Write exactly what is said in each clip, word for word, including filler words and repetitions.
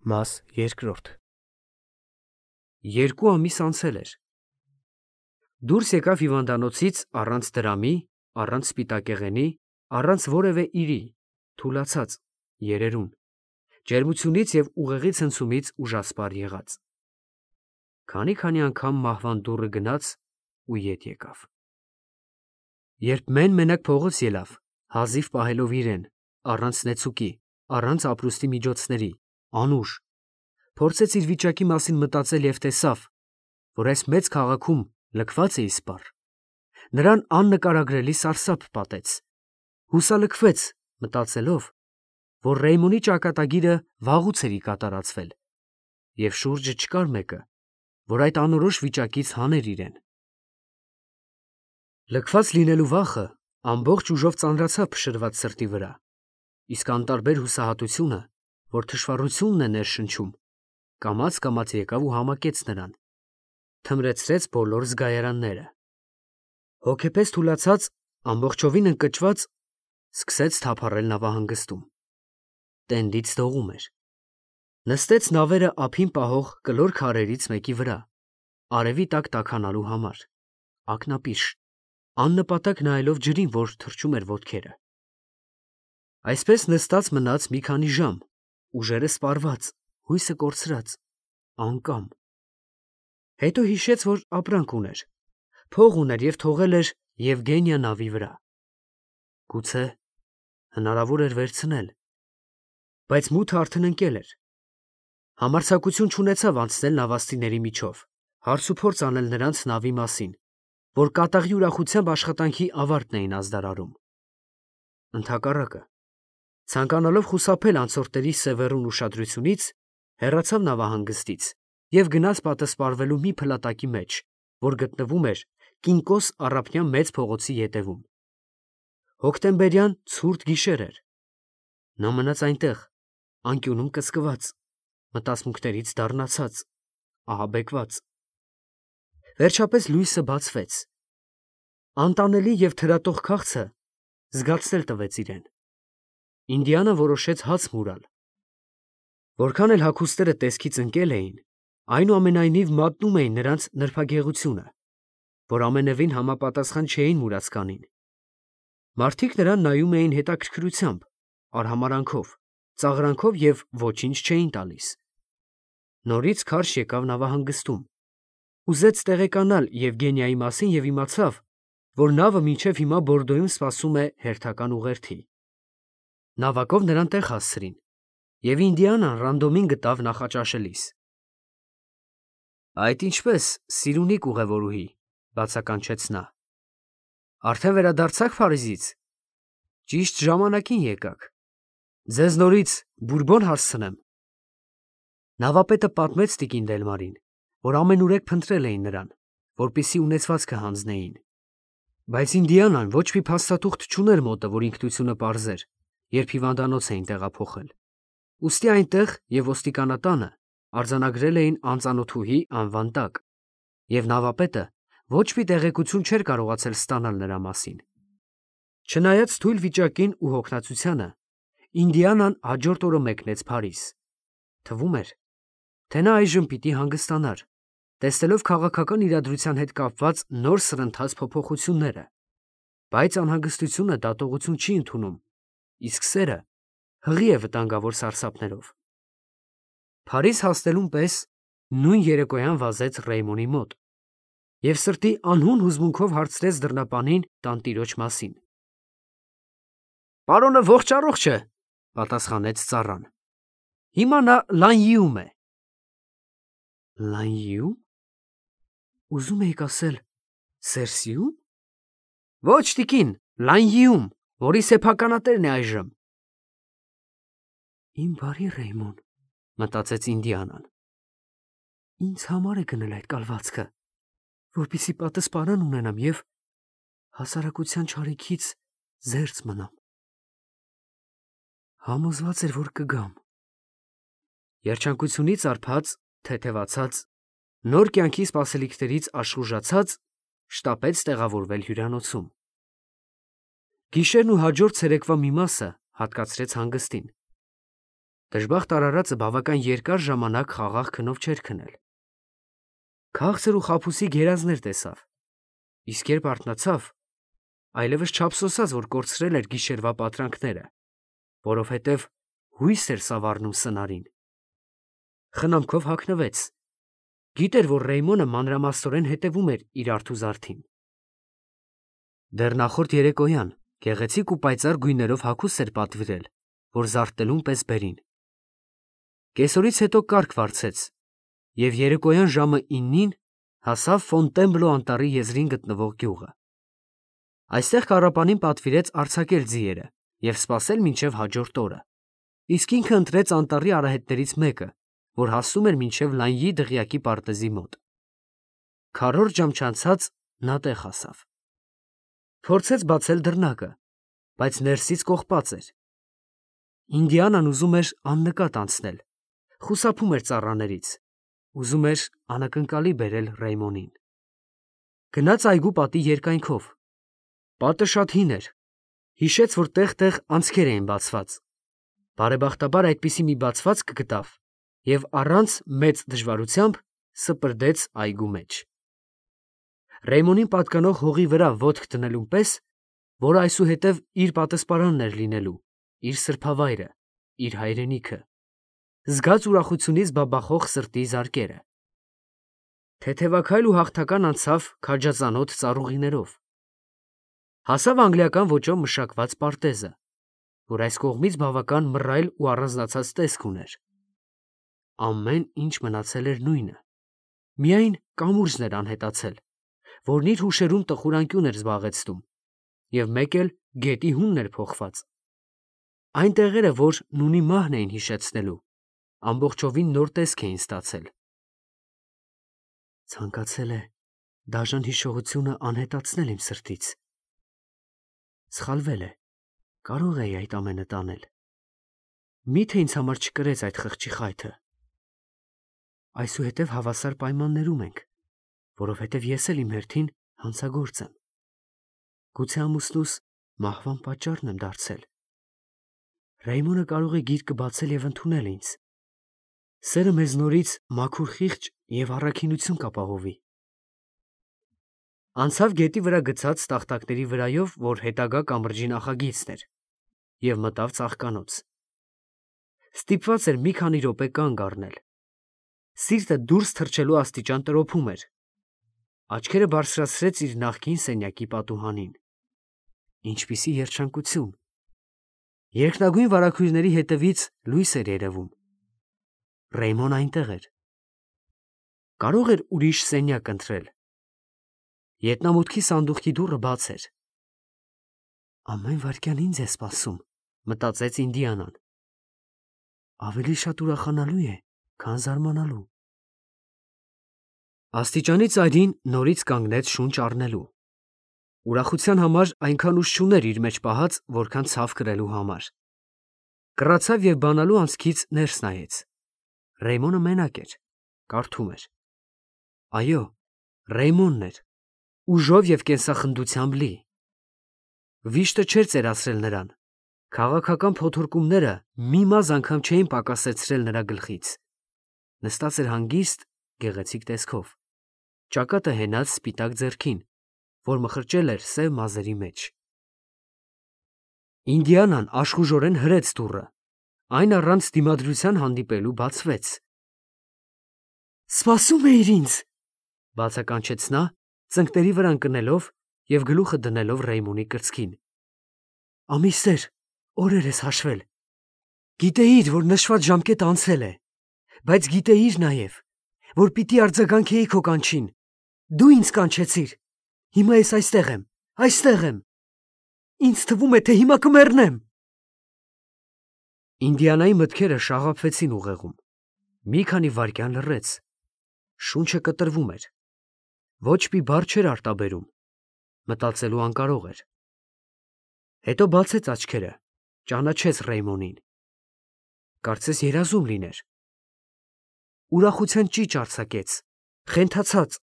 Մաս երկրորդ Երկու ամիս անցել էր։ Դուրս եկավ հիվանդանոցից առանց դրամի, առանց սպիտակեղենի, առանց որևէ իրի, թուլացած, երերուն, ջերմությունից և ուղեղի ցնցումից ուժասպառ եղած։ Քանի-քանի անգամ մահվան դուռը գնաց ու ետ եկավ։ Երբ մեն-մենակ փողոց ելավ, հազիվ պահելով իրեն, առանց նեցուկի, առանց ապրուստի միջոցների, անուշ, փորձեց իր վիճակի մասին մտածել և տեսավ, որ այս մեծ քաղաքում լքված է իսպառ։ Նրան աննկարագրելի սարսափ պատեց, հուսալքվեց, մտածելով, որ Ռեյմոնի ճակատագիրը վաղուց էր կատարածվել, և շուրջը չկար մեկը, որ այդ անորոշ վիճակից հաներ իրեն։ Լքված լինելու վախը ամբողջ ուժով ծանրացավ փշրված սրտի վրա, իսկ անտարբեր հուսահատությունը, որ թշվառությունն է ներշնչում, կամաց-կամաց եկավ ու համակեց նրան, թմրեցրեց բոլոր զգայարանները։ Հոգեպես թուլացած, ամբողջովին ընկճված, սկսեց թափառել նավահանգստում։ Տենդից դողում էր։ Նստեց նավերը ափին պահող կլոր քարերից մեկի վրա, արևի տակ տաքանալու համար, ակնապիշ, աննպատակ նայելով ջրին, որ թռչում էր ոտքերը։ Այսպես նստած մնաց մի քանի ժամ, ուժերը սպառված, հույսը կորցրած, անկամ։ Հետո հիշեց, որ ապրանք ուներ, փող ուներ և թողել էր Եվգենիա նավի վրա։ Գուցե հնարավոր էր վերցնել, բայց մութը արդեն ընկել էր։ Համարձակություն չունեցավ անցնել նավաստիների միջով, հարցուփորձ անել նրանց նավի մասին, որ կատաղի ուրախությամբ աշխատանքի ավարտն էին ազդարարում։ Ընդհակառակը, ցանկանալով խուսափել անցորդների սևեռուն ուշադրությունից, հեռացավ նավահանգստից և գնաց պատսպարվելու մի փլատակի մեջ, որ գտնվում էր Կինկոս առափնյա մեծ փողոցի ետևում։ Հոկտեմբերյան ցուրտ գիշեր էր։ Նա մնաց այնտեղ, անկյունում կծկված, մտածմունքներից դառնացած, ահաբեկված։ Վերջապես լույսը բացվեց։ Անտանելի և թրատող քաղցը զգացնել տվեց իրեն։ Ինդիանան որոշեց հաց մուրալ։ Որքան էլ հագուստները տեսքից ընկել էին, այնուամենայնիվ մատնում էին նրանց նրբագեղությունը, որ ամենևին համապատասխան չէին մուրացկանին։ Մարդիկ նրան նայում էին հետաքրքրությամբ, արհամարհանքով, ծաղրանքով և ոչինչ չէին տալիս։ Նորից քարշ եկավ նավահանգստում, ուզեց տեղեկանալ Եվգենիայի մասին և իմացավ, որ նավը մինչև հիմա Բորդոյում սպասում է հերթական ուղերձի։ Նավակով նրան տեղ հասցրին, և Ինդիանան ռանդոմին գտավ նախաճաշելիս։ Այդ ինչպե՞ս, սիրունիկ ուղևորուհի, բացականչեց նա։ Արդեն վերադարձա՞ք Փարիզից։ Ճիշտ ժամանակին եկաք։ Ձեզ նորից բուրբոն հասցնեմ։ Նավապետը պատմեց տիկին Դելմարին, որ ամենուրեք փնտրել էին նրան, որպեսզի ունեցվածքը հանձնեին։ Բայց Ինդիանան ոչ մի փաստաթուղթ չուներ մոտը, որ ինքնությունը պարզեր, երբ հիվանդանոց էին տեղափոխել։ Ուստի այնտեղ և ոստիկանատանը արձանագրել էին անծանոթուհի անվան տակ, և նավապետը ոչ մի տեղեկություն չէր կարողացել ստանալ նրա մասին։ Չնայած թույլ վիճակին ու հոգնածությանը, Ինդիանան հաջորդ օրը մեկնեց Փարիզ։ Թվում էր, թե նա այժմ պիտի հանգստանար, տեսնելով քաղաքական իրադրության հետ կապված նոր սրընթաց փոփոխությունները, բայց անհանգստությունը դատողություն չի ընդունում, իսկ սերը հղի է վտանգավոր սարսափներով։ Փարիզ հասնելուն պես նույն երեկոյան վազեց Ռեյմոնի մոտ և սրտի անհուն հուզմունքով հարցրեց դռնապանին տանտիրոջ մասին։ Պարոնը ողջ֊առողջ է, պատասխանեց ծառան։ Հիմա նա Լանյիում է։ Լանյիում։ Ուզում եք ասել Սերսիում։ Ոչ, տիկին, Լանյիում, որի սեփականատերն է այժմ։ Իմ բարի Ռեյմոն, մտածեց Ինդիանան, ինձ համար է գնել այդ կալվածքը, որպեսզի պատսպարան ունենամ և հասարակության չարիքից զերծ մնամ։ Համոզված էր, որ կգամ։ Երջանկությունից արբած, թեթևացած, նոր կյանքի սպասելիքներից աշխուժացած, շտապեց տեղավորվել հյուրանոցում։ Գիշերն ու հաջորդ ցերեկվա մի մասը հատկացրեց հանգստին։ Դժբախտ արարածը բավական երկար ժամանակ խաղաղ քնով չէր քնել։ Քաղցր ու խաբուսի գերազներ տեսավ, իսկ երբ արթնացավ, այլևս չափսոսաց, որ կորցրել էր գիշերվա պատրանքները, որովհետև հույս էր սավառնում սնարին։ Խնամքով հագնվեց, գիտեր, որ Ռեյմոնը մանրամասնորեն հետևում էր իր արթուզարդին։ Դեռ նախորդ երեկոյան գեղեցիկ ու պայծառ գույներով հագուստ էր պատվիրել, որ զարդտելուն պես բերին։ Կեսօրից հետո կարգ վարձեց և երեկոյան ժամը իննին հասավ Ֆոնտենբլո անտառի եզրին գտնվող գյուղը։ Այստեղ կառապանին պատվիրեց արձակել ձիերը և սպասել մինչև հաջորդ օրը, իսկ ինքը ընտրեց անտառի արահետներից մեկը, որ հասնում էր մինչև Լանյի դղյակի պարտեզի մոտ։ Քառորդ ժամ չանցած նա տեղ հասավ։ Փորձեց բացել դռնակը, բայց ներսից կողպած էր։ Ինդիանան ուզում էր աննկատ անցնել, խուսափում էր ծառաներից, ուզում էր անակնկալի բերել Ռեյմոնին։ Գնաց այգու պատի երկայնքով։ Պատը շատ հին էր, հիշեց, որ տեղ-տեղ անցքեր էին բացված։ Բարեբախտաբար այդպիսի մի բացվածք գտավ և առանց մեծ դժվարությամբ սպրդեց այգու մեջ։ Ռեյմոնին պատկանող հողի վրա ոտք դնելուն պես, որ այսուհետև իր պատսպարանն էր լինելու, իր սրբավայրը, իր հայրենիքը, զգաց ուրախությունից բաբախող սրտի զարկերը։ Թեթևաքայլ ու հաղթական անցավ քաջածանոթ ծառուղիներով։ Հասավ անգլիական ոճով մշակված պարտեզը, որ այս կողմից բավական մռայլ ու առանձնացած տեսք ուներ։ Ամեն ինչ մնացել էր նույնը, միայն կամուրջն էր անհետացել, որն իր հուշերում տխուր անկյուն էր զբաղեցնում, և մեկ էլ գետի հունն էր փոխված։ Այն տեղերը, որ նունի մահն էին հիշեցնելու, ամբողջովին նոր տեսք էին ստացել։ Ցանկացել է դաժան հիշողությունը անհետացնել իմ սրտից։ Սխալվել է, կարող էի այդ ամենը տանել։ Մի՞թե ինձ համար չկրեց այդ խղճի խայթը։ Այսուհետև հավասար պայմաններում ենք, որովհետև ես էլ իմ հերթին հանցագործ եմ։ Գուցե ամուսնուս մահվան պատճառն եմ դարձել։ Ռեյմոնը կարող է գիրկը բացել և ընդունել ինձ։ Սերը մեզ նորից մաքուր խիղճ և առաքինություն կապահովի։ Անցավ գետի վրա գցած տախտակների վրայով, որ հետագա կամրջի նախագիծն էր, և մտավ ծաղկանոց։ Ստիպված էր մի քանի րոպե կանգ առնել։ Սիրտը դուրս թռչելու աստիճան տրոփում էր։ Աչքերը բարձրացրեց իր նախկին սենյակի պատուհանին։ Ինչպիսի երջանկություն։ Երկնագույն վարագույրների հետևից լույս էր երևում։ Ռեյմոնը այնտեղ էր։ Կարող էր ուրիշ սենյակ ընտրել։ Ետնամուտքի սանդուղքի դուռը բաց էր։ Ամեն վայրկյան ինձ է սպասում, մտածեց Ինդիանան։ Ավելի շատ ուրախանալու է, քան զարմանալու։ Աստիճանի ծայրին նորից կանգնեց շունչ առնելու։ Ուրախության համար այնքան ուժ չուներ իր մեջ պահած, որքան ցավ կրելու համար։ Կռացավ և բանալու անցքից ներս նայեց։ Ռեյմոնը մենակ էր, կարդում էր։ Այո, Ռեյմոնն էր, ուժով և կենսախնդությամբ լի։ Վիշտը չէր ծերացրել նրան, քաղաքական փոթորկումները մի մազ անգամ չէին պակասեցրել նրա գլխից։ Նստած էր հանգիստ, գեղեցիկ տեսքով, ճակատը հենած սպիտակ ձեռքին, որ մխրճել էր սև մազերի մեջ։ Ինդիանան աշխուժորեն հրեց դուռը, այն առանց դիմադրության հանդիպելու բացվեց։ Սպասում էիր ինձ, բացականչեց նա, ծնկների վրա ընկնելով և գլուխը դնելով Ռեյմոնի կրծքին։ Ամիսներ, օրեր ես հաշվել։ Գիտեիր, որ նշված ժամկետը անցել է, բայց գիտեիր նաև, որ պիտի արձագանքեի քո կանչին։ Դու ինձ կանչեցիր։ Հիմա ես այստեղ եմ, այստեղ եմ։ Ինձ թվում է, թե հիմա կմեռնեմ։ Ինդիանայի մտքերը շաղափվեցին ուղեղում։ Մի քանի վայրկյան լռեց։ Շունչը կտրվում էր։ Ոչ մի բառ չէր արտաբերում։ Մտածելու անկարող էր։ Հետո բացեց աչքերը, ճանաչեց Ռեյմոնին։ Կարծես երազում լիներ։ Ուրախության ճիչ արձակեց, խենթացած,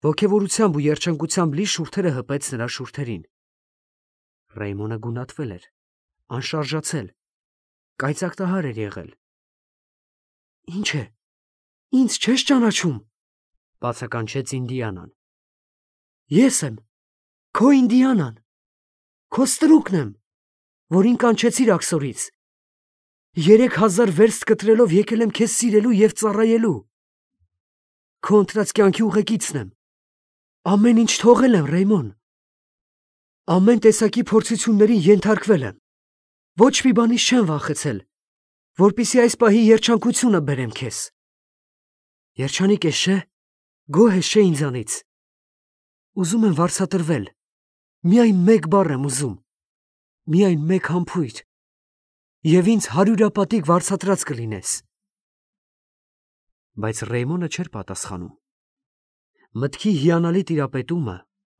ոգևորությամբ ու երջանկությամբ լի շուրթերը հպեց նրա շուրթերին։ Ռեյմոնը գունատվել էր, անշարժացել, կայծակտահար էր եղել, Ինչ է, ինձ չես ճանաչում, բացականչեց Ինդիանան։ Ես եմ, քո Ինդիանան, քո ստրուկն եմ, որին կանչեցիր աքսորից։ Երեք հազար վերստ կտրելով եկել եմ քեզ սիրելու և ծառայելու։ Քո ընտրած կյանքի ուղեկիցն եմ։ Ամեն ինչ թողել եմ, Ռեյմոն։ Ամեն տեսակի փորձություններին ենթարկվել եմ։ Ոչ մի բանից չեմ վախեցել, որպեսզի այս պահի երջանկությունը բերեմ քեզ։ Երջանիկ ես, չէ՞, գոհ ես, չէ՞ ինձանից։ Ուզում եմ վարձատրվել։ Միայն մեկ բառ եմ ուզում, միայն մեկ համբույր, և ինձ հարյուրապատիկ վարձատրած կլինես։ Բայց Ռեյմոնը չէր պատասխանում։ Մտքի հիանալի տիրապետումը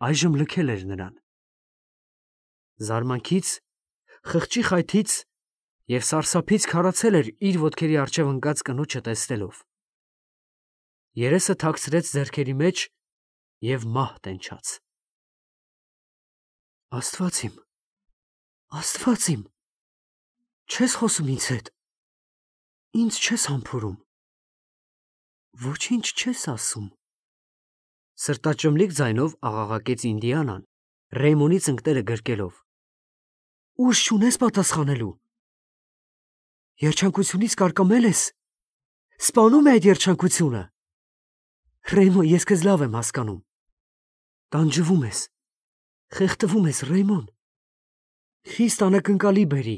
այժմ լքել էր նրան։ Զարմանքից, խղճի խայթից և սարսափից քարացել էր իր ոտքերի առջև ընկած կնոջը տեսնելով։ Երեսը թաքցրեց ձեռքերի մեջ և մահ տենչաց։ Աստված իմ, Աստված իմ, չես խոսում ինձ հետ, ինձ չես համբուրում, ոչինչ չես ասում։ Սրտաճմլիկ ձայնով աղաղակեց Ինդիանան, Ռեյմոնի ծնկները գրկելով։ Ուժ չունես պատասխանելու։ Երջանկությունից կարկամել ես։ Սպանում է այդ երջանկությունը։ Ռեյմոն, ես քեզ լավ եմ հասկանում։ Տանջվում ես, խեղդվում ես, Ռեյմոն։ Խիստ անակնկալի բերի։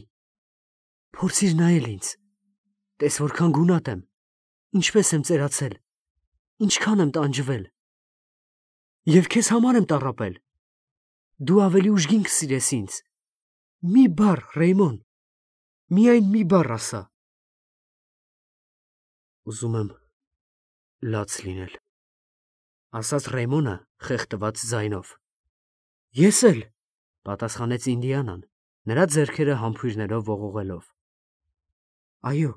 Փորձիր նայել ինձ։ Տես որքան գունատ եմ, ինչպես եմ ծերացել, ինչքան եմ տանջվել։ Եվ քեզ համար եմ տառապել։ Դու ավելի ուժգին կսիրես ինձ։ Մի բառ, Ռեյմոն, միայն մի բառ ասա։ Ուզում եմ լաց լինել, ասաց Ռեյմոնը խեղդված ձայնով։ Ես էլ, պատասխանեց Ինդիանան, նրա ձեռքերը համբույրներով ողողելով։ Այո,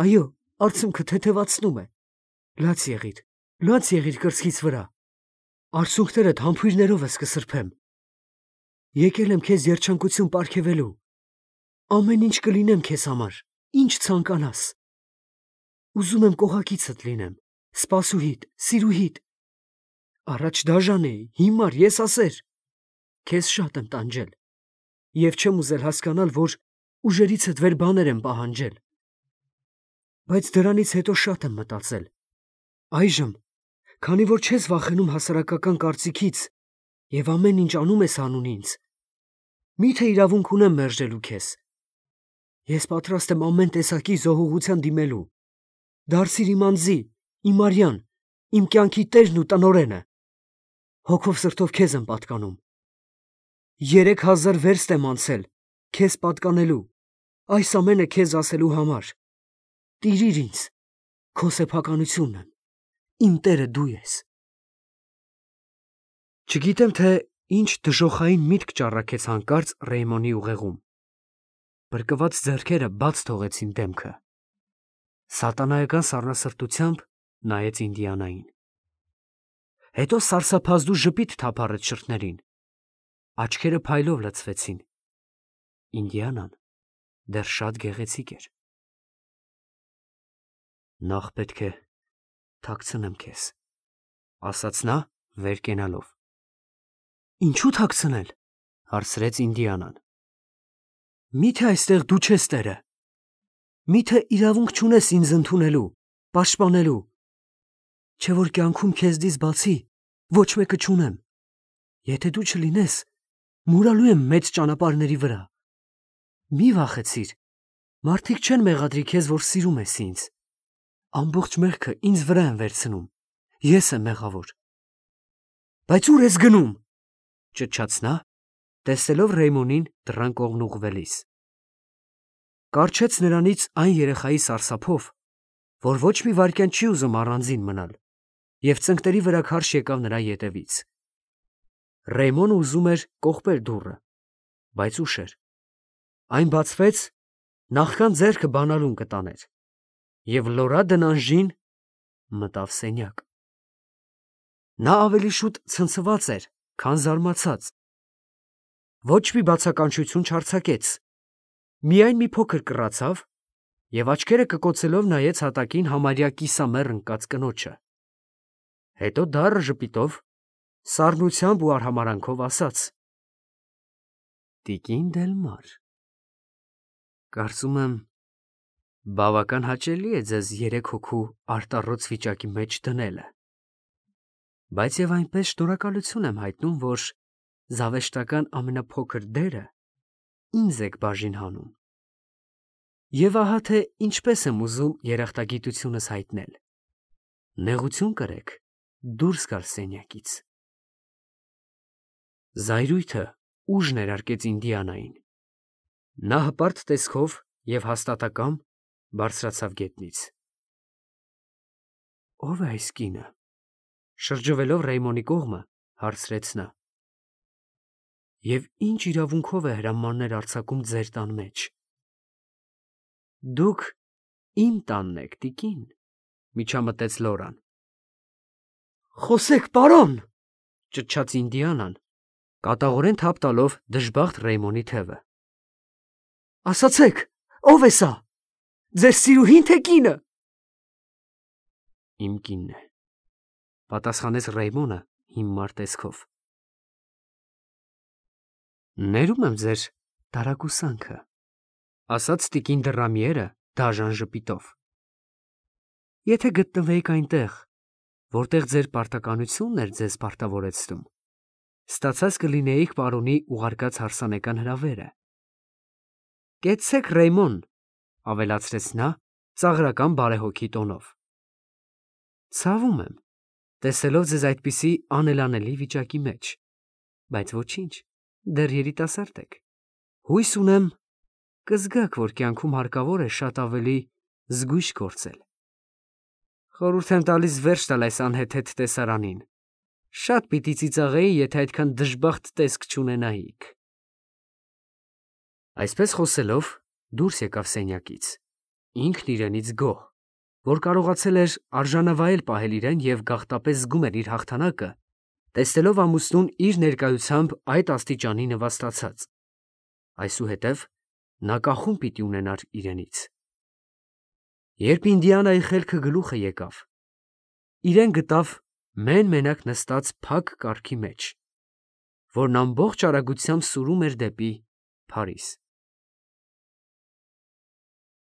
այո, արցունքը թեթևացնում է։ Լաց եղիր, լաց եղիր կրծքից վրա։ Արցունքներդ համբույրներով ես կսրբեմ։ Եկել եմ քեզ երջանկություն պարգևելու։ Ամեն ինչ կլինեմ քեզ համար, ինչ ցանկանաս։ Ուզում եմ կողակիցդ լինեմ, սպասուհիդ, սիրուհիդ։ Առաջ դաժան էի, հիմար, եսասեր։ Քեզ շատ եմ տանջել և չեմ ուզել հասկանալ, որ ուժերիցդ վեր բաներ եմ պահանջել։ Բայց դրանից հետո շատ եմ մտածել։ Այժմ, քանի որ չես վախենում հասարակական կարծիքից և ամեն ինչ անում ես անուն ինձ, մի՞թե իրավունք ունեմ մերժելու քեզ։ Ես պատրաստ եմ ամեն տեսակի զոհուղության դիմելու։ Դարձիր իմ անձի, իմ արյան, իմ կյանքի տերն ու տնօրենը։ Հոգով սրտով քեզ եմ պատկանում։ Երեք հազար վերստ եմ անցել քեզ պատկանելու, այս ամենը քեզ ասելու համար։ Տիրիր ինձ, քո սեփականությունն եմ, իմ տերը դու ես։ Չգիտեմ, թե ինչ դժոխային միտք ճառագեց հանկարծ Ռեյմոնի ուղեղում։ Բրկված ձեռքերը բաց թողեցին դեմքը։ Սատանայական սառնասրտությամբ նայեց Ինդիանային։ Հետո սարսափազդու ժպիտ թափառեց շրթներին։ Աչքերը փայլով լցվեցին։ Ինդիանան դեռ շատ գեղեցիկ էր։ Նախ պետք է թաքցնեմ քեզ, ասաց նա վեր կենալով։ Ինչու թաքցնել, հարցրեց Ինդիանան։ Միթե այստեղ դու չես տերը։ Միթե իրավունք չունես ինձ ընդունելու, պաշտպանելու։ Չէ որ կյանքում քեզնից բացի ոչ մեկը չունեմ։ Եթե դու չլինես, մուրալու եմ մեծ ճանապարհների վրա։ Մի վախեցիր, մարդիկ չեն մեղադրի քեզ, որ սիրում ես ինձ։ Ամբողջ մեղքը ինձ վրա են վերցնում, ես եմ մեղավոր։ Բայց ուր ես գնում, ճչաց նա, տեսնելով Ռեյմոնին դռան կողմն ուղղվելիս։ Կառչեց նրանից այն երեխայի սարսափով, որ ոչ մի վայրկյան չի ուզում առանձին մնալ, և ծնկների վրա քարշ եկավ նրա ետևից։ Ռեյմոնը ուզում էր կողպել դուռը, բայց ուշ էր։ Այն բացվեց, նախքան ձեռքը բանալուն կտաներ, և Լորա Դնանժին մտավ սենյակ։ Նա ավելի շուտ ցնցված էր, քան զարմացած։ Ոչ մի բացականչություն չարձակեց, միայն մի փոքր կռացավ և աչքերը կկոցելով նայեց հատակին համարյա կիսամեռ ընկած կնոջը, հետո դառը ժպիտով, սառնությամբ ու արհամարհանքով ասաց. «Տիկին Դելմար, կարծում եմ, բավական հաճելի է ձեզ երեք հոգու արտառոց վիճակի մեջ դնելը, բայց և այնպես շնորհակալություն եմ հայտնում, որ զավեշտական ամենափոքր դերը ինձ եք բաժին հանում, և ահա թե ինչպես եմ ուզում երախտագիտությունս հայտնել. նեղություն կրեք դուրս գալ սենյակից»։ Զայրույթը ուժ ներարկեց Ինդիանային. նա հպարտ տեսքով և հաստատակամ բարձրացավ գետնից։ «Ո՞վ է այս կինը», շրջվելով Ռեյմոնի կողմը, հարցրեց նա, «և ի՞նչ իրավունքով է հրամաններ արձակում ձեր տան մեջ»։ «Դուք իմ տանն եք, տիկին», միջամտեց Լորան։ «Խոսեք, պարոն», ճչաց Ինդիանան, կատաղորեն թափ տալով դժբախտ Ռեյմոնի թևը։ «Ասացեք, ո՞վ է սա, ձեր սիրուհի՞ն, թե կինը»։ «Իմ կինն է», պատասխանեց Ռեյմոնը հիմար տեսքով։ «Ներում եմ ձեր տարակուսանքը», ասաց տիկին Դռամիերը դաժան ժպիտով։ «Եթե գտնվեիք այնտեղ, որտեղ ձեր պարտականությունն էր ձեզ պարտավորեցնում, ստացած կլինեիք պարոնի ուղարկած հարսանեկան հրավերը»։ «Կեցցեք, Ռեյմոն», ավելացրեց նա ծաղրական բարեհոգի տոնով։ «Ցավում եմ, տեսելով ձեզ այդպիսի անելանելի վիճակի մեջ, բայց ոչինչ, դեռ երիտասարդ եք, հույս ունեմ, կզգաք, որ կյանքում հարկավոր է շատ ավելի զգույշ գործել։ Խորհուրդ եմ տալիս վերջ տալ այս անհեթեթ տեսարանին, շատ պիտի ծիծաղեի, եթե այդքան դժբախտ տեսք չունենայիք»։ Այսպես խոսելով դուրս եկավ սենյակից, ինքն իրենից գոհ, որ կարողացել էր արժանավայել պահել իրեն և գաղտապես զգում էր իր հաղթանակը, տեսնելով ամուսնուն իր ներկայությամբ այդ աստիճանի նվաստացած, այսուհետև նա կախում պիտի ունենար իրենից։ Երբ Ինդիանայի խելքը գլուխը եկավ, իրեն գտավ մեն֊մենակ նստած փակ կառքի մեջ, որն ամբողջ արագությամբ սուրում էր դեպի Փարիզ։